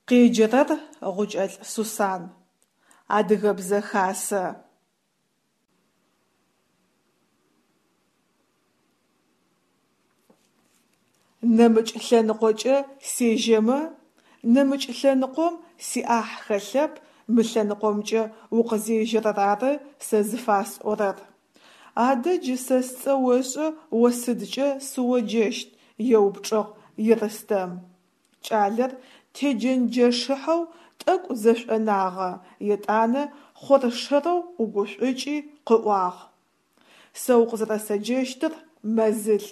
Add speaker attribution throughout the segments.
Speaker 1: Къеджэрэр Гъукӏэлӏ Сусан. Адыгэбзэ хасэ. Нэмыкӏ лъэныкъокӏэ сежьэмэ? Нэмыкӏ лъэныкъом сиӏахь хэлъэп, мы лъэныкъомкӏэ укъызежьэрэр ары сэ зыфасӏорэр. Адэ джы сэ сцӏэ ошӏэ, о сыдкӏэ сыоджэщт? еупчӏыгъ Ерстэм. Кӏалэр теджэнджэшыхьэу тӏэкӏу зэшӏонагъэ, етӏанэ хъоршэрэу ӏугушӏукӏи къыӏуагъ: Сэ укъызэрэсэджэщтыр Мэзылӏ.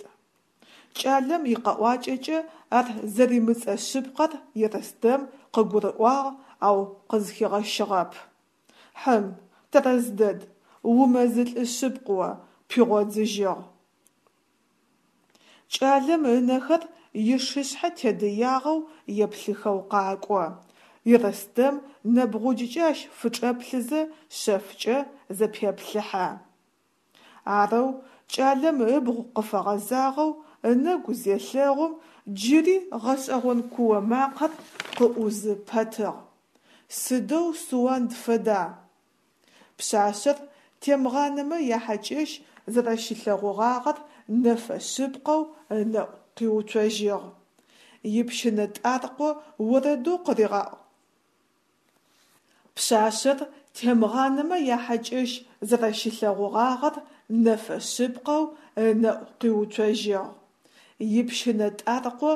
Speaker 1: Кӏалэм икъэӏуакӏэкӏэ ар зэримыцӏэ шъыпкъэр Ерстэм къыгурыӏуагъ, ау къызхигъэщыгъэп. Хьым, тэрэз дэд, умэзылӏы шъыпкъ о, пигъодзыжьыгъ. Кӏалэм ынэхэр ишышъхьэ тедыягъэу еплъыхэу къакӏо. Ерстэм нэбгъуджкӏэ ащ фычӏэплъызэ шъэфкӏэ зэпеплъыхьэ. Арэу кӏалэм ыбгъу къыфэгъэзагъэу ынэгу зелъэгъум, джыри гъэшӏэгъон куо макъэр къыӏузы пэтыгъ. Сыдэу Суанд фэда? Пшъашъэр Темгъанэмэ яхьакӏэщ зэрэщилъэгъугъагъэр нэфэ шъыпкъэу ынэӏу къиуцожьыгъ. Ипщынэ тӏаркъо орэдэу къыригъаӏу. Пшъашъэр Темгъанэмэ яхьакӏэщ зэрэщилъэгъугъагъэр нэфэ шъыпкъэу ынэӏу къиуцожьыгъ. Ипщынэ тӏаркъо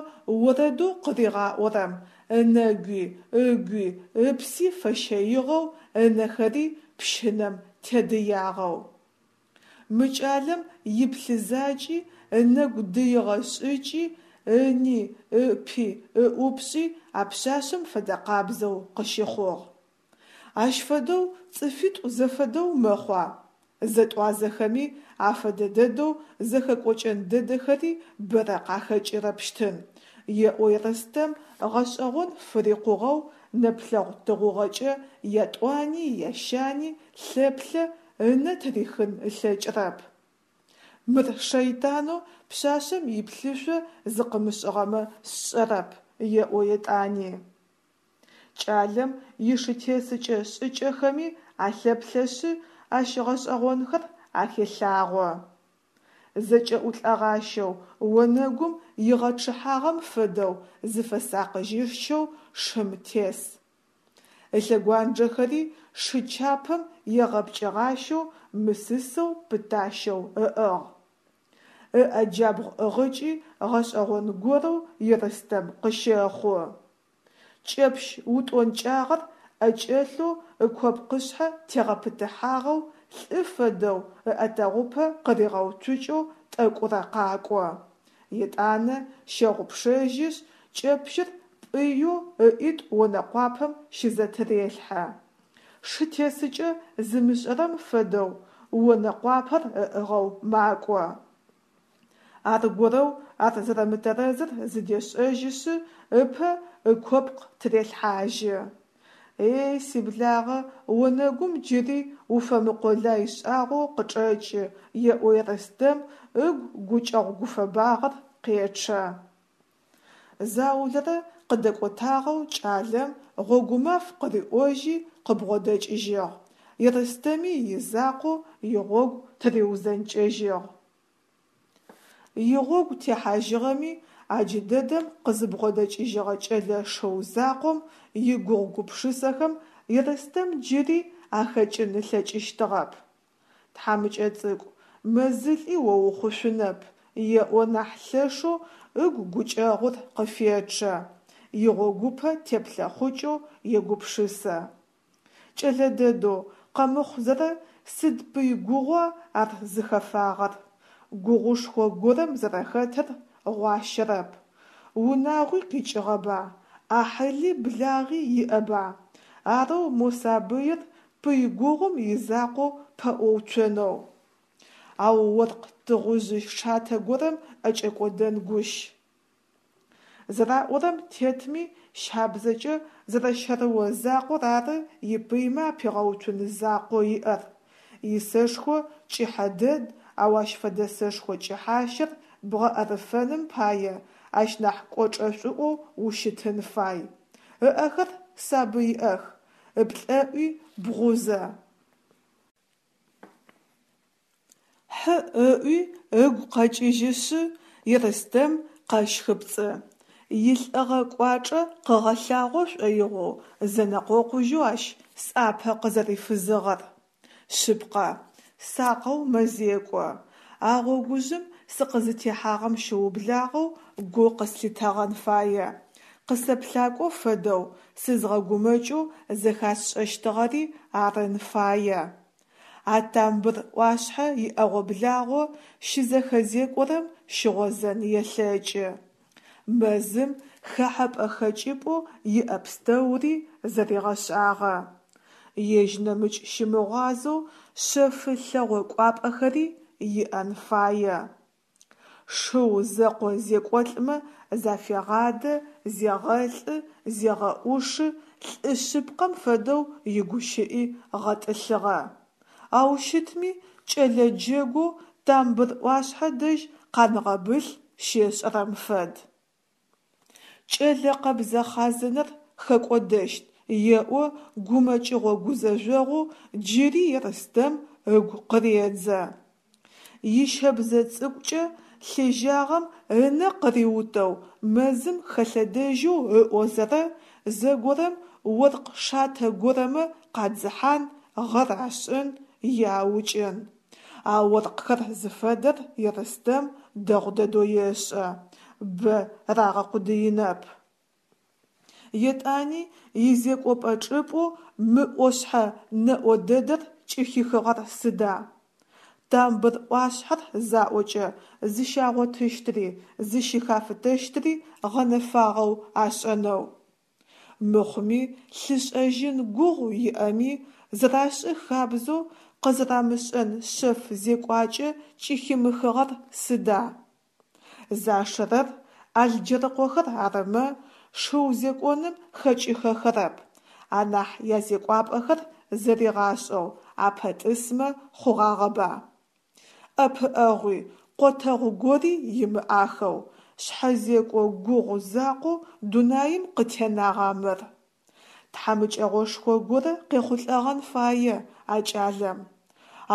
Speaker 1: орэдэу къыригъаӏорэм ынэгуи, ыгуи, ыпси фэщэигъэу, ынэхэри пщынэм тедыягъэу. Мы кӏалэм иплъызакӏи, ынэгу дыигъэ шӏыкӏи, ыни, ыпи, ыӏупшӏи а пшъашъэм фэдэкъабзэу къыщыхъугъ. Ащ фэдэу цӏыфитӏу зэфэдэу мэхъуа? Зэтӏуазэхэми афэдэ дэдэу зэхэкӏокӏэн дэдэхэри бэрэ къахэкӏырэпщтын, еӏо Ерстэм гъэшӏэгъон фырикъугъэу нэплъэгъу тыгъугъэкӏэ ятӏуани ящани лъэплъэ, ынэ тырихын ылъэкӏырэп. Мыр шэйтанэу пшъашъэм иплъышъо зыкъымышӏыгъэмэ сшӏэрэп, еӏо етӏани. Кӏалэм ишытесыкӏэ шӏыкӏэхэми алъэплъэшъы, ащ гъэшӏэгъонхэр ахелъагъо. Зэкӏэӏулӏэгъащэу, онэгум игъэчъыхьагъэм фэдэу зыфэсакъыжьышчэу шым тес. Ылъэгуанджэхэри шы чапэм егъэпкӏыгъащэу мысысэу пытащэу ыӏыгъ. Ыӏэ джабгъу ӏыгъыкӏи гъэшӏэгъон горэу Ерстэм къыщэхъу. Кӏэпщ утӏонкӏагъэр ӏэкӏэлъэу ыкопкъышъхьэ тегъэпытыхьагъэу лӏы фэдэу ыӏэтэгъупэ къыригъэуцукӏэу тӏэкӏурэ къакӏо. Етӏанэ щэгъупшэжьышъ, кӏэпщыр пӏыеу ыӏитӏу онэкъуапэм щызэтырелъхьэ. Шы тесыкӏэ зымышӏэрэм фэдэу онэкъуапэр ыӏыгъэу макӏо. Аргорэу ар зэрэмытэрэзыр зыдешӏэжьышъы, ыпэ ыкопкъ тырелъхьажьы. Ей, сиблагъэ, онэгум джыри уфэмыкъолай шӏагъоу къычӏэкӏы, еӏо Ерстэм, ыгу гукӏэгъу-гуфэбагъэр къечъэ. Заулэрэ къыдэкӏотагъэу кӏалэм гъогумаф къыриӏожьи къыбгъодэкӏыжьыгъ, Ерстэми изакъоу игъогу тыриузэнкӏэжьыгъ. Игъогу техьажьыгъэми, а джыдэдэм къызыбгъодэкӏыжьыгъэ кӏэлэ шыу закъом игугъу-гупшысэхэм Ерстэм джыри ахэкӏын ылъэкӏыщтыгъэп. Тхьамыкӏэ цӏыкӏу, мэзылӏи о ухъушъунэп, еӏо нахь лъэшэу ыгу гукӏэгъур къыфечъэ, игъогупэ теплъэхъукӏэу егупшысэ. Кӏэлэ дэдэу, къэмыхъузэрэ сыд пый гугъуа ар зыхэфагъэр? Гугъушхо горэм зэрэхэтыр гъуащэрэп. Унагъуи къикӏыгъэба, ӏахьыли благъи иӏэба? Арэу мо сабыир пый гугъум изакъоу пэӏоуцонэу. Ау оркъ тыгъужъы шатэ горэм ӏэкӏэкӏодэн гущ. Зэраӏорэм тетми, щабзэкӏэ зэрэщэрыо закъор ары ипыймэ апигъэуцун закъоу иӏэр. Исэшхо кӏыхьэ дэд, ау ащ фэдэ сэшхо кӏыхьащэр бгъэӏэрыфэным пае ащ нахь кӏочӏэшӏуӏоу ущытын фай. Ыӏэхэр сабыиӏэх, ыплӏэӏуи бгъузэ. Хьы ыӏуи ыгу къэкӏыжьышъы, Ерстэм къэщхыпцӏы, илӏыгъэ кӏуачӏэ къыгъэлъагъо шӏоигъоу зэнэкъокъужьэу ащ сӏапэ къызэрифызыгъэр. Шъыпкъэ, сакъэу мэзекӏо, а гъогужъым сыкъызытехьагъэм щыублагъэу гу къыслъитэгъэн фае, къысэплъакӏо фэдэу сызгъэгумэкӏэу зэхасшӏэщтыгъэри арын фае. А тамбыр ӏуашъхьэ иӏэгъо-благъо щызэхэзекӏорэм щыгъозэн елъэкӏы. Мэзым хэхьэпӏэ-хэкӏыпӏэу иӏэ пстэури зэригъэшӏагъэ. Ежь нэмыкӏ щымыгъуазэу шъэфы лъэгъо кӏуапӏэхэри иӏэн фае. Шыу зэкъо зекӏолӏмэ зафегъадэ, зегъэлӏы, зегъэӏушы, лӏы шъыпкъэм фэдэу игущыӏи гъэтӏылъыгъэ. Ау щытми, кӏэлэ джэгоу тамбыр ӏуашъхьэ дэжь къангъэбылъ щешӏэрэм фэд. Кӏэлэ къэбзэ хъазынэр хэкӏодэщт, еӏо гумэкӏыгъо-гузэжъогъоу джыри Ерстэм ыгу къыредзэ. Ищэбзэ цӏыкӏукӏэ лъежьагъэм ынэ къыриутэу мэзым хэлъэдэжьэу ыӏозэрэ, зэгорэм оркъ шатэ горэмэ къадзыхьан, гъэр ашӏын е аукӏын. А оркъхэр зыфэдэр Ерстэм дэгъу дэдэу ешӏэ, бэ рагъэкъудыинэп. Етӏани изекӏопӏэ чӏыпӏэу мы ӏошъхьэ нэӏо дэдэр кӏыхихыгъэр сыда? Тамбыр ӏуашъхьэр заӏокӏэ зыщагъотыщтри, зыщыхафытэщтри гъэнэфагъэу ашӏэнэу. Мыхъуми лъышӏэжьын гугъу иӏэми, зэрашӏы хабзэу къызэрамышӏэн шъэф зекӏуакӏэ кӏыхимыхыгъэр сыда? Зашэрэр Алджэрыкъохэр арымэ, шыу зекӏоным хэкӏыхэхэрэп, анахь язекӏуапӏэхэр зэригъашӏэу апэтӏысмэ хъугъагъэба? ӏэпыӏэгъуи, къотэгъу гори имыӏахэу, шъхьэзекӏо гугъу закъоу дунаим къытенагъа мыр? Тхьамыкӏэгъошхо горэ къехъулӏэгъэн фае а кӏалэм.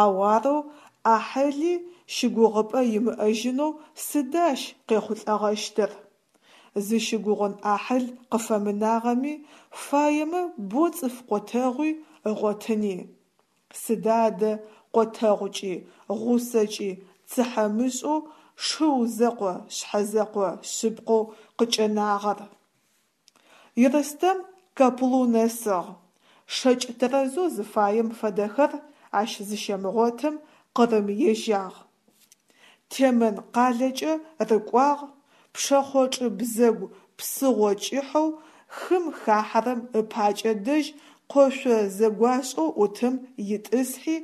Speaker 1: Ау арэу ӏахьыли щыгугъыпӏэ имыӏэжьынэу сыда ащ къехъулӏэгъэщтыр? Зыщыгугъын ӏахьыл къыфэмынагъэми, фаемэ бо цӏыф къотэгъуи ыгъотыни. Сыда адэ къотэгъукӏи, гъусэкӏи цыхьэмышӏэу шыу зэкъо шъхьэзэкъо шъыпкъэу къыкӏэнагъэр? Ерстэм Каплу нэсыгъ. Шэкӏ тэрэзэу зыфаем фэдэхэр ащ зыщемыгъотым Къырым ежьагъ. Темэн къалэкӏэ рыкӏуагъ, пшэхъочӏы бзэгу псыгъо кӏыхьэу хым хахьэрэм ыпакӏэ дэжь къошъо зэгуашӏэу ӏутым итӏысхьи,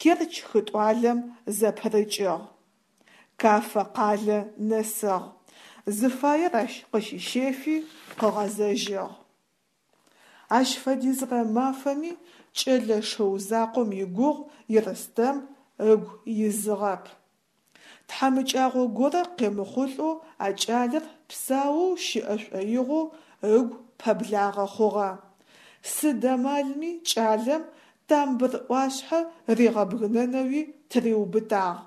Speaker 1: Керчь хытӏуалэм зэпырыкӏыгъ. Кафэ къалэ нэсыгъ. Зыфаер ащ къыщищэфи, къыгъэзэжьыгъ. Ащ фэдизрэ мафэми кӏэлэ шыу закъом игугъу Ерстэм ыгу изыгъэп. Тхьамыкӏагъо горэ къемыхъулӏэу а кӏалэр псаоу щыӏэ шӏоигъоу ыгу пэблагъэ хъугъэ. Сыд амалми кӏалэм Тамбыр ӏуашъхьэ ригъэбгынэнэуи тыриубытагъ.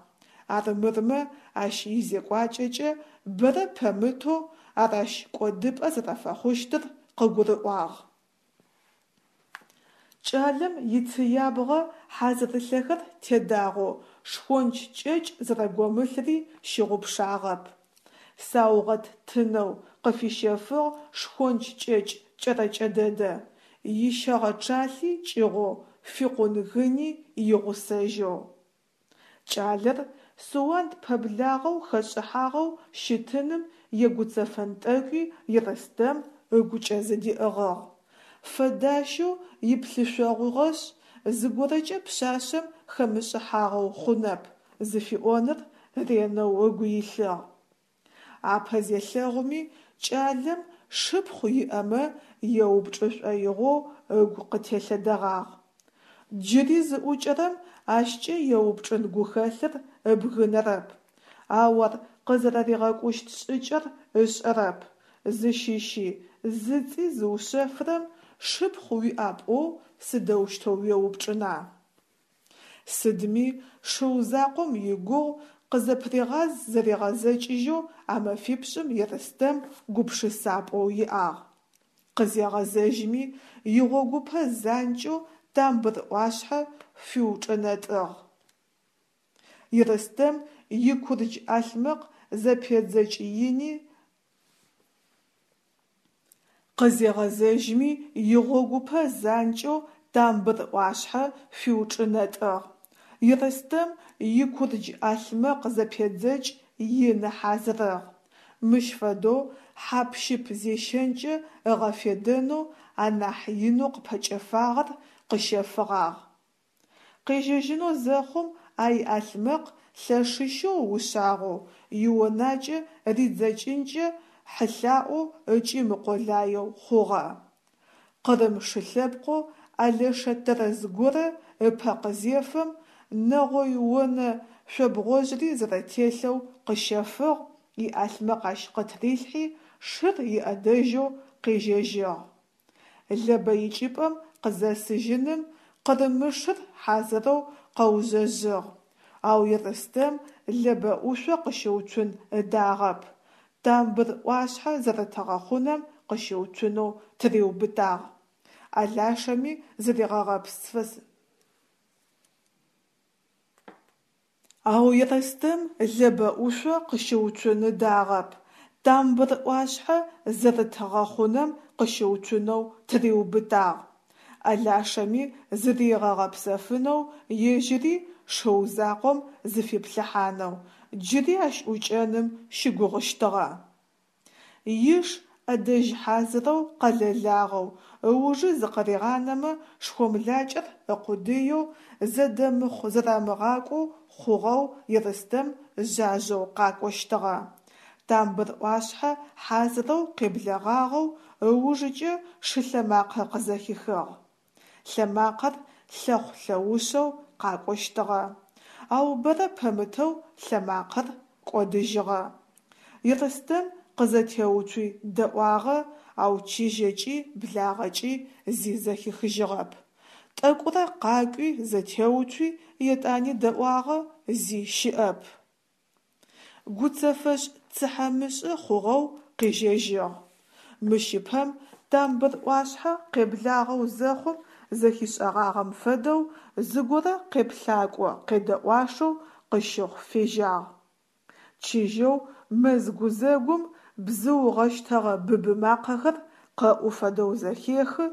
Speaker 1: Армырмэ ащ изекӏуакӏэкӏэ бэрэ пэмытэу ар ащ кӏодыпӏэ зэрэфэхъущтыр къыгурыӏуагъ. Кӏалэм ицыябгъэ хьазырылъэхэр тедагъэу шхонч кӏэкӏ зэрэгомылъри щыгъупшагъэп. Саугъэт тынэу къыфищэфыгъ шхонч кӏэкӏ кӏэрэкӏэ дэдэ, ищэгъэчъалъи кӏыгъоу, фикъун гыни игъусэжьэу. Кӏалэр Суанд пэблагъэу хэшӏыхьагъэу щытыным егуцэфэн тӏэкӏуи Ерстэм ыгукӏэ зыдиӏыгъыгъ. Фэдащэу иплъышъогъугъэшъ, зыгорэкӏэ пшъашъэм хэмышӏыхьагъэу хъунэп зыфиӏоныр ренэу ыгу илъыгъ. Апэ зелъэгъуми кӏалэм шыпхъу иӏэмэ еупчӏы шӏоигъоу ыгу къытелъэдэгъагъ. Джыри зыӏукӏэрэм ащкӏэ еупчӏын гухэлъыр ыбгынэрэп, ау ар къызэрэригъэкӏущт шӏыкӏэр ышӏэрэп. Зыщыщи, зыцӏи зыушъэфрэм шыпхъу уиӏа пӏоу сыдэущтэу уеупчӏына? Сыдми, шыу закъом игугъу къызэпыригъаз-зэригъэзэкӏыжьэу а мэфипшӏым Ерстэм гупшысапӏэу иӏагъ. Къызегъэзэжьми, игъогупэ занкӏэу Тамбыр ӏуашъхьэ фиучӏэнэтӏыгъ. Ерстэм икурдж ӏалъмэкъ зэпедзэкӏ ини Къызегъэзэжьми, игъогупэ занкӏэу Тамбыр ӏуашъхьэ фиучӏынэтӏыгъ. Ерстэм икурдж ӏалъмэкъ зэпедзэкӏ ины хьазырыгъ. Мыщ фэдэу хьап-щып зещэнкӏэ ыгъэфедэнэу анахь инэу къыпэкӏэфагъэр къыщэфыгъагъ. Къежьэжьынэу зэхъум а иӏалъмэкъ лъэшыщэу ушъагъэу, ионакӏэ ридзэкӏынкӏэ хьылъаӏоу ыкӏи мыкъолаеу хъугъэ. Къырым шы лъэпкъэу алэшэ тэрэз горэ ыпэ къызефэм, нэгъой онэ шъобгъожъри зэрэтелъэу къыщэфыгъ, иӏалъмэкъ ащ къытырилъхьи, шыр иӏэдэжьэу къежьэжьыгъ. Лэбэ икӏыпӏэм къызэсыжьыным къырымышыр хьазырэу къэужъэжъыгъ, ау Ерстэм Лэбэ ӏушъо къыщыуцун ыдагъэп, Тамбыр ӏуашъхьэ зэрыт гъэхъунэм къыщыуцунэу тыриубытагъ. Алашэми зыригъэгъэпсфыз. Ау Ерстэм Лэбэ ӏушъо къыщыуцун ыдагъэп, Тамбыр ӏуашъхьэ зэрыт гъэхъунэм къыщыуцунэу тыриубытагъ. Алашэми зыригъэгъэпсэфынэу, ежьыри шыу закъом зыфиплъыхьанэу, джыри ащ ӏукӏэным щыгугъыщтыгъэ. Иш ӏэдэжь хьазырэу къэлэлагъэу, ыужы зыкъыригъанэмэ шхомлакӏэр ыкъудыеу, зэдэмыхъу-зэрамыгъакӏоу хъугъэу Ерстэм жъажъэу къакӏощтыгъэ. Тамбыр ӏуашъхьэ хьазырэу къеблэгъагъэу ыужыкӏэ шылъэмакъэ къызэхихыгъ. Лъэмакъэр лъэхъу-лъэушъэу къакӏощтыгъэ. Ау бэрэ пэмытэу лъэмакъэр кӏодыжьыгъэ. Ерстэм къызэтеуцуи дэӏуагъэ, ау чыжьэкӏи благъэкӏи зи зэхихыжьыгъэп. Тӏэкӏурэ къакӏуи зэтеуцуи етӏани дэӏуагъэ, зи щыӏэп. Гуцэфэшӏ цыхьэмышӏы хъугъэу къежьэжьыгъ. Мыщ ыпэм Тамбыр ӏуашъхьэ къеблагъэу зэхъум зэхишӏэгъагъэм фэдэу зыгорэ къеплъакӏо къедэӏуашэу къыщыхъу фежьагъ. Чыжьэу мэз гузэгум бзыу гъэщтэгъэ быбы макъэхэр къэӏу фэдэу зэхехы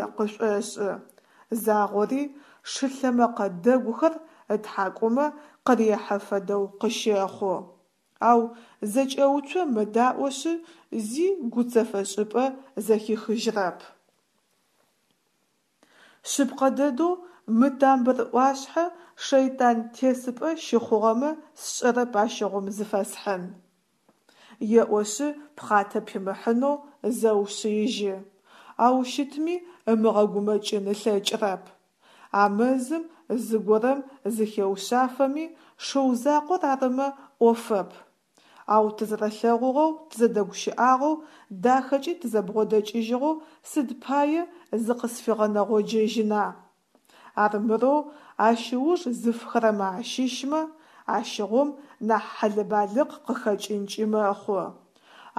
Speaker 1: е къышӏошӏы. Загъори шы лъэмэкъэ дэгухэр ытхьакӏумэ къырехьэ фэдэу къыщэхъу. Ау зэкӏэуцо мэдаӏошъы, зи гуцэфэшӏыпӏэ зэхихыжьрэп. Шъыпкъэ дэдэу мы Тамбыр ӏуашъхьэ шэйтан тесыпӏэ щыхъугъэмэ сшӏэрэп ащыгъум зыфэсхьын. Еӏошъы пхъатэ пимыхьынэу зэушъыижьы. Ау щытми ымыгъэгумэкӏын ылъэкӏрэп. А мэзым зыгорэм зыхеушъафэми, шыу закъор арымэ ӏофэп. Ау тызэрэлъэгъугъэу, тызэдэгущыӏагъэу, дахэкӏи тызэбгъодэкӏыжьыгъэу сыд пае зыкъысфигъэнэгъоджэжьына? Армырэу ащ ыуж зыфхэрэмэ ащыщмэ, ащыгъум нахь хьэлэбалыкъ къыхэкӏынкӏи мэхъу.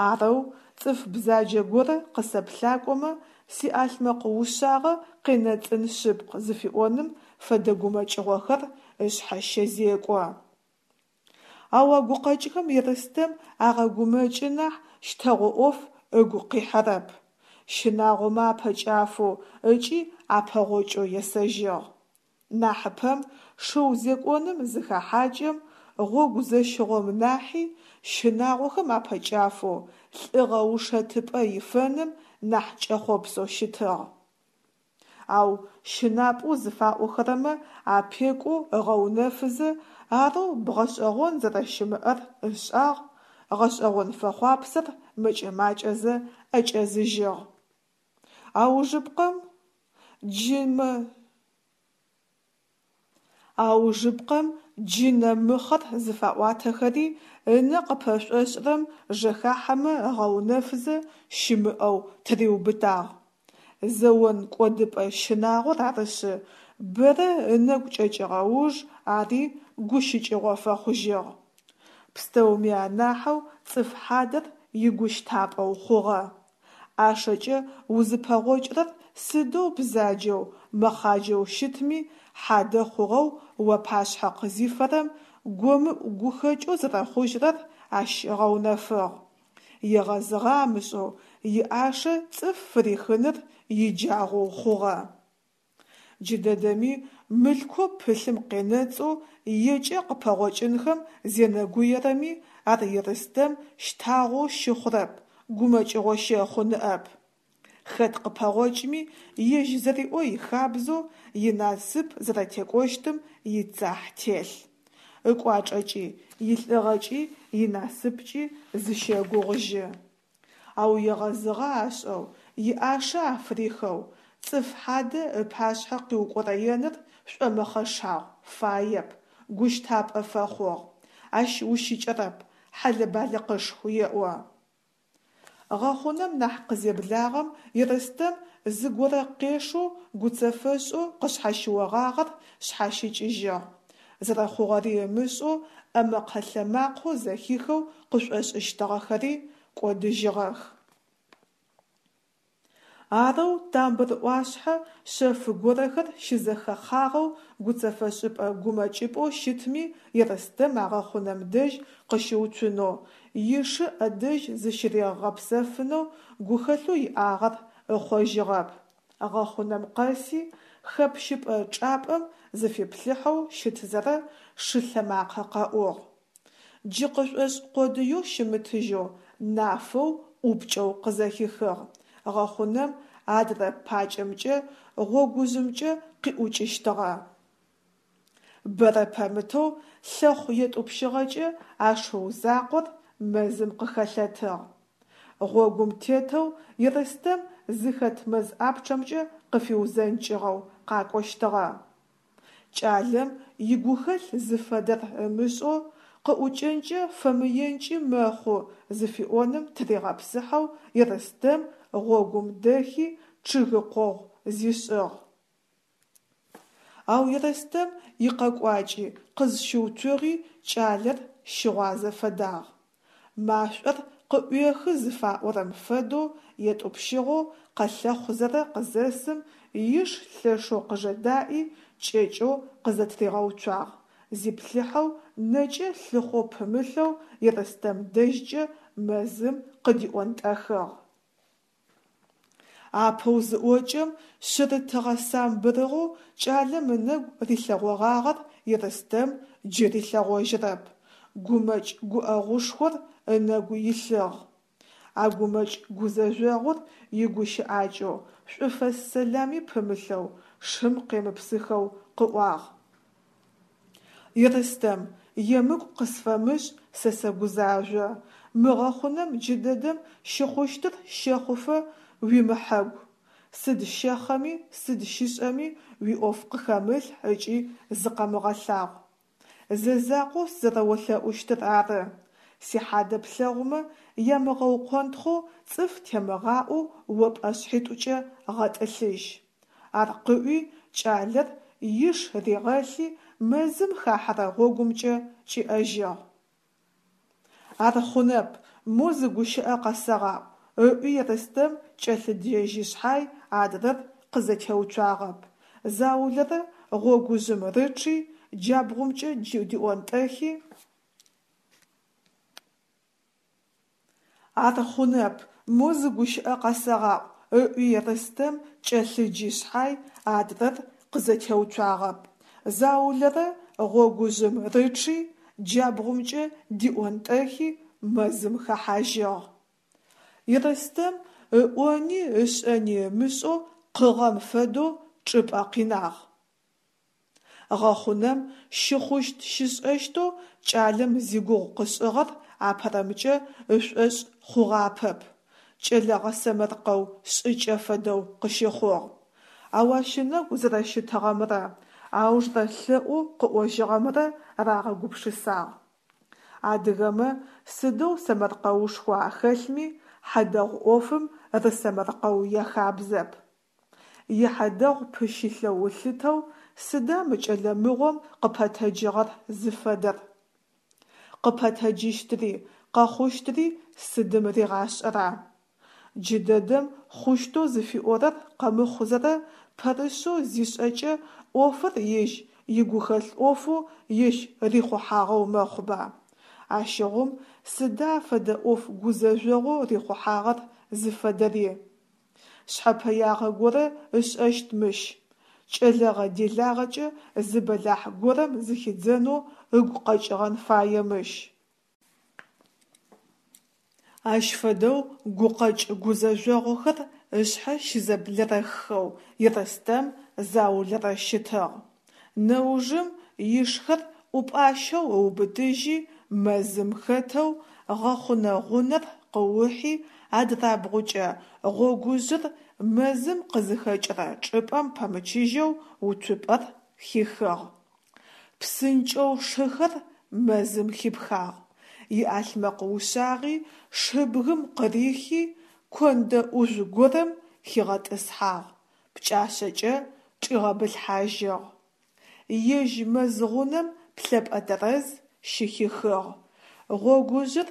Speaker 1: Арэу цӏыф бзаджэ горэ къысэплъакӏомэ, сиӏалъмэкъ ушъагъэ къенэцӏын шъыпкъ зыфиӏоным фэдэ гумэкӏыгъохэр ышъхьэ щэзекӏо. Ау а гукъэкӏхэм Ерстэм агъэгумэкӏы нахь щтэгъо ӏоф ыгу къихьэрэп. Щынагъомэ апэкӏафэу ыкӏи апэгъокӏэу есэжьыгъ. Нахьыпэм шыу зекӏоным зыхэхьакӏэм, гъогу зэщыгъом нахьи, щынагъохэм апэкӏафэу, лӏыгъэ ушэтыпӏэ ифэным нахь кӏэхъопсэу щытыгъ. Ау щынапӏэу зыфаӏохэрэмэ апекӏоу ыгъэунэфызэ, арэу бгъэшӏэгъон зэрэщымыӏэр ышӏагъ, гъэшӏэгъон фэхъуапсэр мэкӏэ-макӏэзэ ӏэкӏэзыжьыгъ. Аужыпкъэм, джы мэ. Аужыпкъэм джынэ мыхъэр зыфаӏуатэхэри ынэ къыпэшӏошӏырэм жэхахьэмэ ыгъэунэфызэ, щымыӏэу тыриубытагъ. Зэон кӏодыпӏэ щынагъор арышъы, бэрэ ынэгу кӏэкӏыгъэ уж ари гущыкӏыгъо фэхъужьыгъ. Пстэуми анахьэу цӏыф хьадэр игущтапӏэу хъугъэ. ӏашэкӏэ узыпэгъокӏырэр сыдэу бзаджэу, мэхъаджэу щытми, хьадэ хъугъэу уапашъхьэ къызифэрэм, гомыӏу гухэкӏэу зэрэхъужьырэр ащ ыгъэунэфыгъ. Егъэзыгъэ амышӏэу иӏашэ цӏыф фырихыныр иджагъоу хъугъэ. Джыдэдэми мылъкоу пылъым къенэцӏэу екӏэ къыпэгъокӏынхэм зенэгуерэми, ар Ерстэм щтагъоу щыхъурэп, гумэкӏыгъо щэхъу ныӏэп. Хэт къыпэгъокӏми, ежь зэриӏо ихабзэу, инасып зэрэтекӏощтым ицахь телъ. Ыкӏуачӏэкӏи, илӏыгъэкӏи, инасыпкӏи зыщэгугъыжьы. Ау егъэзыгъэ ашӏэу, иӏашэ афырихэу, цӏыф хьадэ ыпашъхьэ къиукӏорэеныр шӏомэхъэшагъу, фаеп, гущтапӏэ фэхъугъ. Ащ ущыкӏэрэп, хьэлэ-балыкъышху, еӏо. Гъэхъунэм нахь къызеблагъэм Ерстэм зыгорэ къешэу гуцэфэшӏэу къышъхьащыогъагъэр шъхьащыкӏыжьыгъ. Зэрэхъугъэри ымышӏэу ӏэмэкъэ-лъэмакъэу зэхихэу къышӏошӏыщтыгъэхэри кӏодыжьыгъэх. Арэу тамбыр ӏуашъхьэ шъэф горэхэр щызэхэхъагъэу гуцэфэшӏыпӏэ гумэкӏыпӏэу щытми Ерстэм а гъэхъунэм дэжь къыщыуцунэу, ишы ӏэдэжь зыщыригъэгъэпсэфынэу гухэлъэу иӏагъэр ыхъожьыгъэп. Гъэхъунэм къэси, хэпщыпӏэ чӏапӏэм зыфиплъыхьэу щытзэрэ шы лъэмакъэ къэӏугъ. Джы къышӏошӏ къодыеу щымытыжьэу, нафэу, ӏупкӏэу къызэхихыгъ, гъэхъунэм адрэ пакӏэмкӏэ, гъогужъымкӏэ къиӏукӏыщтыгъэ. Бэрэ пэмытэу лъэхъу етӏупщыгъэкӏэ а шыу закъор мэзым къыхэлъэтыгъ. Гъогум тетэу Ерстэм зыхэт мэз ӏапчъэмкӏэ къыфиузэнкӏыгъэу къакӏощтыгъэ. Кӏалэм игухэлъ зыфэдэр ымышӏэу, къыӏукӏэнкӏэ фэмыенкӏи мэхъу зыфиӏоным тыригъэпсыхьэу Ерстэм гъогум дэхи чъыгы къогъу зишӏыгъ. Ау Ерстэм икъэкӏуакӏи къызщыуцугъи кӏалэр щыгъуазэ фэдагъ. Машӏор къыӏуехы зыфаӏорэм фэдэу етӏупщыгъэу къэлъэхъузэрэ къызэсым, иш лъэшэу къыжэдаӏи, кӏэкӏэу къызэтыригъэуцуагъ, зиплъыхьэу нэкӏэ лъыхъоу пымылъэу Ерстэм дэжькӏэ мэзым къыдиӏонтӏэхыгъ. Апэу зыӏокӏэм, шъырытыгъэ самбырыгъэу кӏалэм ынэгу рилъэгъогъагъэр Ерстэм джы рилъэгъожьырэп, гумэкӏ гуӏэгъушхор ынэгу илъыгъ. А гумэкӏ гузэжъогъур игущыӏакӏэу, шӏуфэс сэлами пымылъэу, шым къемыпсыхэу къыӏуагъ. Ерстэм, емыкӏу къысфэмышӏ, сэ сэгузажъо. Мы гъэхъунэм джыдэдэм щыхъущтыр щэхъуфэ уимыхьэгу. Сыд щэхъэми, сыд щышӏэми уиӏоф къыхэмылъхь ыкӏи зыкъэмыгъэлъагъу. Зэ закъоу сызэрэолъэӏущтыр ары. Сихьадэ плъэгъумэ, ямыгъэукъонтхъоу цӏыф темыгъаӏоу о пӏэшъхьитӏукӏэ гъэтӏылъыжь. Ар къыӏуи, кӏалэр иш ригъэлъи, мэзым хахьэрэ гъогумкӏэ кӏиӏэжьыгъ. Ар хъунэп, мо зы гущыӏэ къэсэгъаӏу, ыӏуи Ерстэм кӏэлъыджэжьи шъхьай, адрэр къызэтеуцуагъэп. Заулэрэ гъогужъым рычъи, джабгъумкӏэ диӏонтӏэхи. Ар хъунэп, мо зы гущыӏэ къэсэгъаӏу, ыӏуи Ерстэм кӏэлъыджи шъхьай, адрэр къызэтеуцуагъэп. Заулэрэ гъогужъым рычъи, джабгъумкӏэ диӏонтӏэхи, мэзым хэхьажьыгъ. Ерстэм ыӏони ышӏэни ымышӏэу къыгъэм фэдэу чӏыпӏэ къинагъ. Гъэхъунэм щыхъущт-щышӏэщтэу кӏалэм зигугъу къышӏыгъэр апэрэмкӏэ ышӏошъ хъугъапэп, кӏэлэ гъэсэмэркъэу шӏыкӏэ фэдэу къыщыхъугъ. Ау ащ ынэгу зэрэщытыгъэмрэ аужрэ лъэӏоу къыӏожьыгъэмрэ рагъэгупшысагъ. Адыгэмэ сыдэу сэмэркъэушхо ахэлъми, хьадэгъу ӏофым рысэмэркъэу яхабзэп. Ихьадэгъу пыщылъэу ылъытэу сыда мы кӏэлэ мыгъом къыпэтэджыгъэр зыфэдэр? Къыпэтэджыщтри, къэхъущтри сыдым ригъашӏэра? Джыдэдэм хъущтэу зыфиӏорэр къэмыхъузэрэ пэрышъэу зишӏэкӏэ ӏофыр ежь игухэлъ ӏофэу ежь рихъухьагъэу мэхъуба? Ащыгъум сыда фэдэ ӏоф гузэжъогъоу рихъухьагъэр зыфэдэри? Шъхьэпэягъэ горэ ышӏэщт мыщ. Кӏэлэгъэ-делагъэкӏэ зы бэлахь горэм зыхидзэнэу ыгу къэкӏыгъэн фае мыщ. Ащ фэдэу гукъэкӏ гузэжъогъухэр ышъхьэ щызэблэрэххэу Ерстэм заулэрэ щытыгъ. Нэужым ишхэр ӏупӏащэу ыубытыжьи, мэзым хэтэу гъэхъунэ гъунэр къыухи, адрабгъукӏэ гъогужъыр мэзым къызыхэкӏырэ чӏыпӏэм пэмычыжьэу уцупӏэр хихыгъ. Псынкӏэу шыхэр мэзым хипхагъ, иӏалъмэкъ ушъагъи шыбгым къырихи, кондэ ӏужъу горэм хигъэтӏысхьагъ, пкӏашъэкӏэ чӏигъэбылъхьажьыгъ. Ежь мэз гъунэм плъэпӏэ тэрэз щыхихыгъ. Гъогужъыр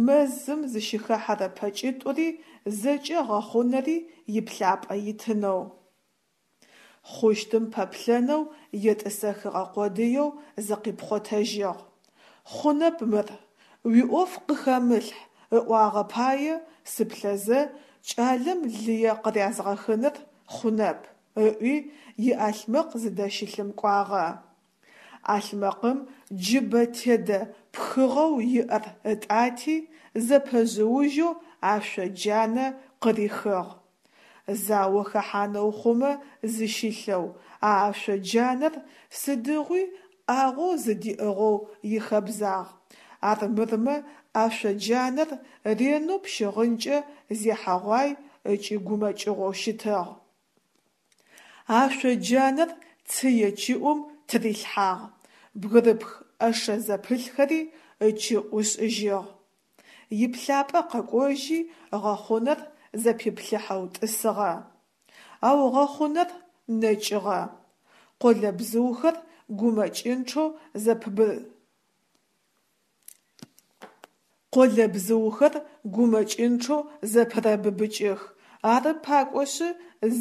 Speaker 1: мэзым зыщыхэхьэрэ пэкӏитӏури зэкӏэ гъэхъунэри иплъапӏэ итынэу. Хъущтым пэплъэнэу етӏысэхыгъэ къодыеу зыкъипхъотэжьыгъ. Хъунэп мыр, уиӏоф къыхэмылъхь ыӏуагъэ пае сыплъэзэ кӏалэм лые къырязгъэхыныр хъунэп, ыӏуи иӏалъмэкъ зыдэщылъым кӏуагъэ. ӏалъмэкъым джыбэ тедэ пхыгъэу иӏэр ытӏати, зэпэжъыужьэу ашъо джанэ къырихыгъ. Зао хэхьанэу хъумэ зыщилъэу а ашъо джанэр сыдигъуи ӏагъоу зыдиӏыгъэу ихэбзагъ, армырмэ ашъо джанэр ренэу пщыгъынкӏэ зехьэгъуай ыкӏи гумэкӏыгъоу щытыгъ. Ашъо джанэр цые чыӏум тырилъхьагъ, бгырыпх ӏэшэ зэпылъхэри ычыӏу ышӏыжьыгъ. Иплъапӏэ къэкӏожьи гъэхъунэр зэпиплъыхьэу тӏысыгъэ. Ау гъэхъунэр нэкӏыгъэ. Къолэбзыухэр гумэкӏынчъэу зэпбы. Къолэбзыухэр гумэкӏынчъэу зэпырэбыбыкӏых, ары пакӏошъы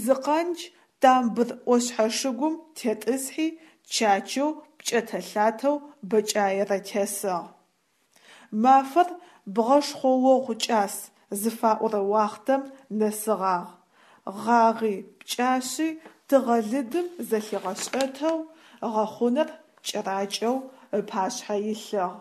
Speaker 1: зы къандж тамбыр ӏошъхьэ шыгум тетӏысхьи чачэу пкӏэтэ-лъатэу бэкӏаерэ тесыгъ. Мафэр бгъэшхъоогъу кӏас зыфаӏорэ уахътэм нэсыгъагъ. Гъагъи, пкӏашъи тыгъэ лыдым зэлъигъэшӏэтэу, гъэхъунэр кӏэракӏэу ыпашъхьэ илъыгъ.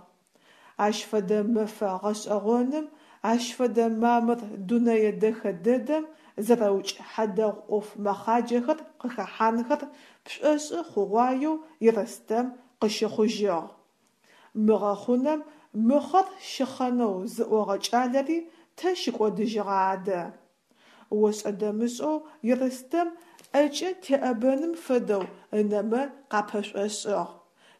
Speaker 1: Ащ фэдэ мэфэ гъэшӏэгъоным, ащ фэдэ мамыр дунэе дэхэ дэдэм зэрэукӏ хьадэгъу ӏоф мэхъаджэхэр къыхэхьанхэр пшӏошъы хъугъуаеу Ерстэм къыщыхъужьыгъ. Мы гъэхъунэм мыхъэр щыхъэнэу зыӏогъэ кӏалэри тэ щыкӏодыжьыгъа адэ? Ошӏэ-дэмышӏэу Ерстэм ӏэкӏэ теӏэбэным фэдэу ынэмэ къапэшӏошӏыгъ.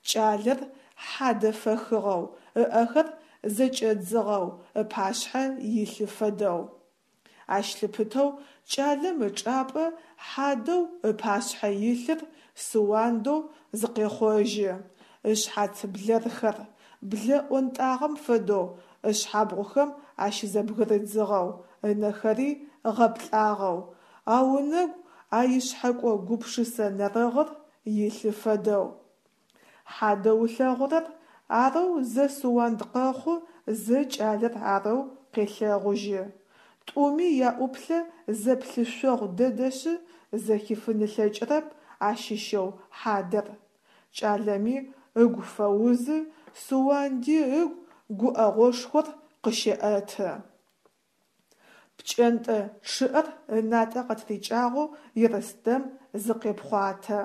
Speaker 1: Кӏалэр хьадэ фэхыгъэу, ыӏэхэр зэкӏэдзыгъэу ыпашъхьэ илъы фэдэу. Ащ лъыпытэу кӏалэм ычӏапӏэ хьадэу ыпашъхьэ илъыр Суандэу зыкъехъожьы, ышъхьац блэрхэр, блэ ӏонтӏагъэм фэдэу ышъхьабгъухэм ащызэбгырыдзыгъэу, ынэхэри гъэплӏагъэу, ау ынэгу а ишъхьэкӏо гупшысэ нэрыгъыр илъы фэдэу. Хьадэу ылъэгъурэр арэу зэ Суанд къэхъу, зэ кӏалэр арэу къелъэгъужьы. Тӏуми яӏуплъэ зэплъышъогъу дэдэшъы, зэхифын ылъэкӏырэп ащыщэу хьадэр. Кӏалэми ыгу фэузы, Суанди ыгу гуӏэгъошхор къыщеӏэты. Пкӏэнтӏэ чъыӏэр ынатӏэ къытырикӏагъэу Ерстэм зыкъепхъуатэ.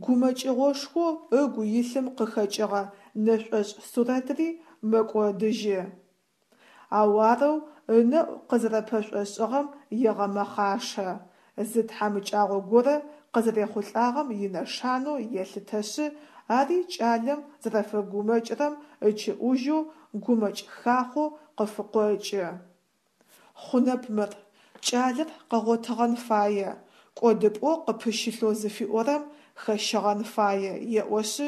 Speaker 1: Гумэкӏыгъошхоу ыгу илъым къыхэкӏыгъэ нэшӏошӏ сурэтри мэкӏодыжьы. Ау арэу ынэӏу къызэрэпэшӏошӏыгъэм егъэмэхъашэ, зы тхьамыкӏагъо горэ къызэрехъулӏагъэм инэшанэу елъытэшъы, ари кӏалэм зэрэфэгумэкӏырэм ыкӏыӏужьэу гумэкӏ хахъоу къыфыкъокӏы. Хъунэп мыр, кӏалэр къэгъотыгъэн фае, кӏодыпӏэу къыпыщылъэу зыфиӏорэм хэщэгъэн фае, еӏошъы,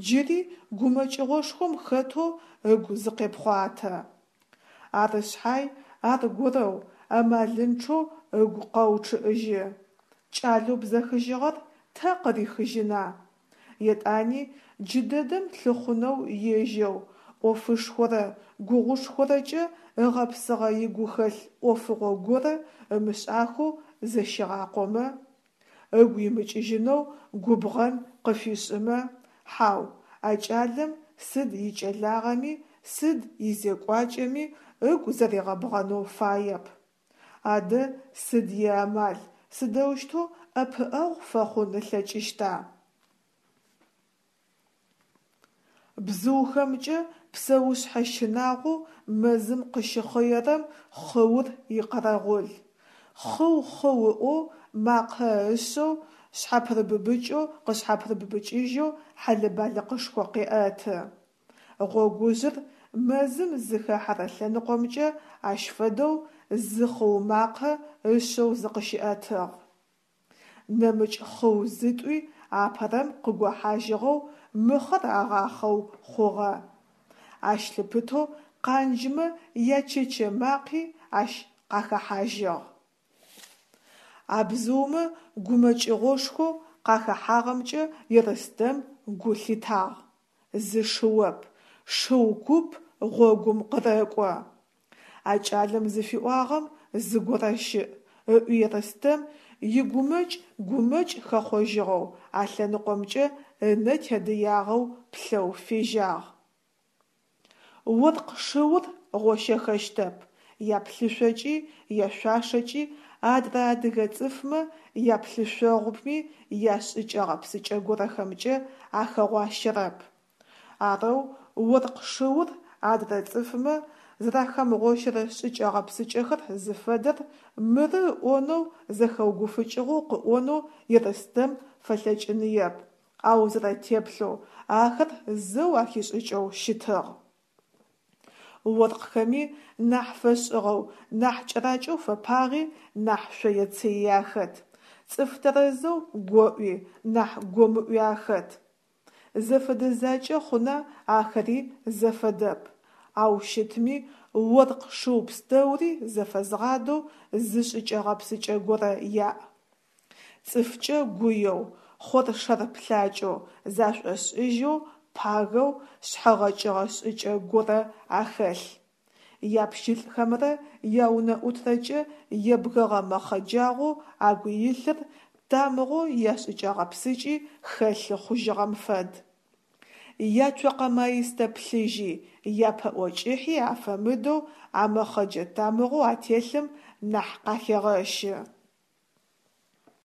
Speaker 1: джыри гумэкӏыгъошхом хэтэу ыгу зыкъепхъуатэ. Ары шъхьай, аргорэу, амалынчъэу ыгу къэучъыӏыжьы. Кӏалэу бзэхыжьыгъэр тэ къырихыжьына? Етӏани джыдэдэм лъыхъунэу ежьэу, ӏофышхорэ гугъушхорэкӏэ ыгъэпсыгъэ игухэлъ ӏофыгъо горэ ымышӏахэу зэщигъакъомэ, ыгу имыкӏыжьынэу губгъэн къыфишӏымэ, хьау, а кӏалэм сыд икӏэлагъэми, сыд изекӏуакӏэми ыгу зэригъэбгъэнэу фаеп. Адэ сыд иамал, сыдэущтэу ӏэпыӏэгъу фэхъун ылъэкӏыщта? Бзыухэмкӏэ псэушъхьэ щынагъоу мэзым къыщыхъыерэм хъыур икъэрэгъул. Хъыу-хъыу ыӏоу, макъэ ышъэу, шъхьапырыбыбыкӏэу къышъхьапырыбыбыкӏыжьэу хьэлэ-балыкъышхо къеӏэты. Гъогужъыр мэзым зыхэхьэрэ лъэныкъомкӏэ ащ фэдэу зы хъыу макъэ ышъэу зыкъыщиӏэтыгъ. Нэмыкӏ хъыу зытӏуи апэрэм къыгохьажьыгъэу мыхъэр агъахъэу хъугъэ. Ащ лъыпытэу къанджмэ ячэчэ макъи ащ къахэхьажьыгъ. А бзыумэ гумэкӏыгъошхоу къахэхьагъэмкӏэ Ерстэм гу лъитагъ. Зы шыоп, шыу куп гъогум къырэкӏо. А кӏалэм зыфиӏуагъэм зыгорэ щыӏ, ыӏуи Ерстэм игумэкӏ гумэкӏ хэхъожьыгъэу а лъэныкъомкӏэ ынэ тедыягъэу плъэу фежьагъ. Оркъ шыур гъощэхэщтэп, яплъышъокӏи яшъуашэкӏи адрэ адыгэ цӏыфмэ яплъышъогъуми яшӏыкӏэ-гъэпсыкӏэ горэхэмкӏэ ахэгъуащэрэп. Арэу оркъ шыур адрэ цӏыфмэ зэрахэмыгъощэрэ шӏыкӏэ-гъэпсыкӏэхэр зыфэдэр мыры ыӏонэу зэхэугуфыкӏыгъэу къыӏонэу Ерстэм фэлъэкӏыныеп, ау зэрэтеплъэу ахэр зэу ахишӏыкӏэу щытыгъ. Оркъхэми нахь фэшӏыгъэу, нахь кӏэракӏэу фэпагъи, нахь шъое-цыий ахэт. Цӏыф тэрэзэу гоӏуи, нахь гомыӏуи ахэт. Зэфэдэ закӏэ хъуна ахэри зэфэдэп. Ау щытми, оркъ шыу пстэури зэфэзгъадэу зы шӏыкӏэ-гъэпсыкӏэ горэ яӏ. Цӏыфкӏэ гуеу, хъоршэр плъакӏэу, зашӏошӏыжьэу, пагэу, шъхьэгъэкӏыгъэ шӏыкӏэ горэ ахэлъ. Япщылӏхэмрэ яунэӏутрэкӏэ ебгэгъэ мэхъэджагъэу агу илъыр тамыгъэу яшӏыкӏэ-гъэпсыкӏи хэлъы хъужьыгъэм фэд. Яцокъэ маистэ плъыжьи, япэӏо кӏыхьи афэмыдэу а мэхъэджэ тамыгъэу ателъым нахь къахегъэщы.